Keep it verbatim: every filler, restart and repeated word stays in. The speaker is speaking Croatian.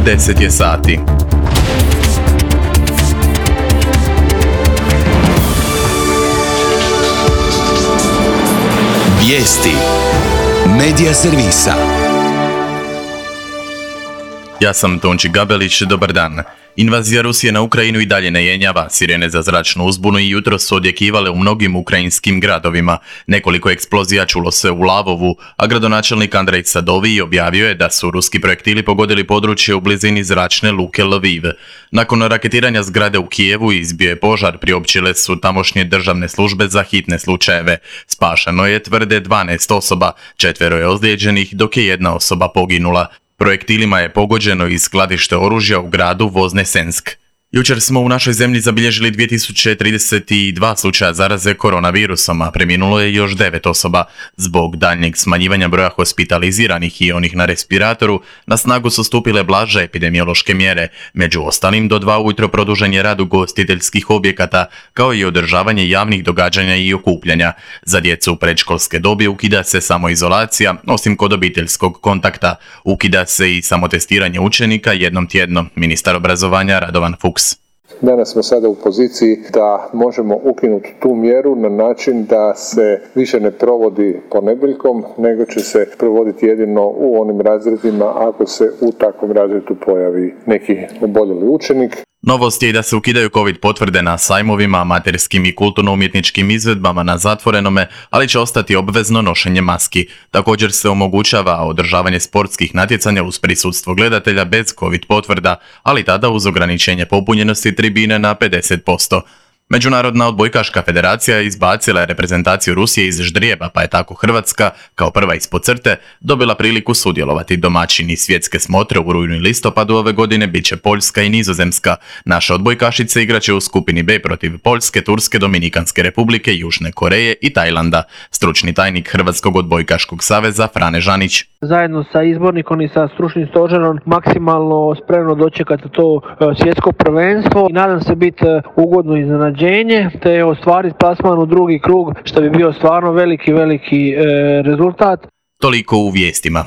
deset je sati. Vijesti Medija servisa. Ja sam Tonči Gabelić, dobar dan. Invazija Rusije na Ukrajinu i dalje ne jenjava. Sirene za zračnu uzbunu i jutro su odjekivale u mnogim ukrajinskim gradovima. Nekoliko eksplozija čulo se u Lavovu, a gradonačelnik Andrej Sadovij objavio je da su ruski projektili pogodili područje u blizini zračne luke Lviv. Nakon raketiranja zgrade u Kijevu izbio je požar, priopćile su tamošnje državne službe za hitne slučajeve. Spašeno je, tvrde, dvanaest osoba, četvero je ozlijeđenih, dok je jedna osoba poginula. Projektilima je pogođeno i skladište oružja u gradu Voznesensk. Jučer smo u našoj zemlji zabilježili dvije tisuće trideset dva slučaja zaraze koronavirusom, a preminulo je još devet osoba. Zbog daljnjeg smanjivanja broja hospitaliziranih i onih na respiratoru, na snagu su stupile blaže epidemiološke mjere. Među ostalim, do dva ujutro produžen je rad ugostiteljskih objekata, kao i održavanje javnih događanja i okupljanja. Za djecu u predškolske dobi ukida se samoizolacija, osim kod obiteljskog kontakta. Ukida se i samotestiranje učenika jednom tjedno. Ministar obrazovanja Radovan Fuchs. Danas smo sada u poziciji da možemo ukinuti tu mjeru na način da se više ne provodi ponedjeljkom, nego će se provoditi jedino u onim razredima ako se u takvom razredu pojavi neki oboljeli učenik. Novost je i da se ukidaju covid potvrde na sajmovima, amaterskim i kulturno-umjetničkim izvedbama na zatvorenome, ali će ostati obvezno nošenje maski. Također se omogućava održavanje sportskih natjecanja uz prisustvo gledatelja bez covid potvrda, ali tada uz ograničenje popunjenosti tribine na pedeset posto. Međunarodna odbojkaška federacija izbacila je reprezentaciju Rusije iz ždrijeba, pa je tako Hrvatska, kao prva ispod crte, dobila priliku sudjelovati. Domaćini svjetske smotre u rujnu i listopadu ove godine bit će Poljska i Nizozemska. Naše odbojkašice igraće u skupini B protiv Poljske, Turske, Dominikanske republike, Južne Koreje i Tajlanda. Stručni tajnik Hrvatskog odbojkaškog saveza Frane Žanić. Zajedno sa izbornikom i sa stručnim stožerom maksimalno spremno dočekati to svjetsko prvenstvo i nadam se biti ugodno iznenađenje te ostvariti plasman u drugi krug, što bi bio stvarno veliki, veliki e, rezultat. Toliko u vijestima.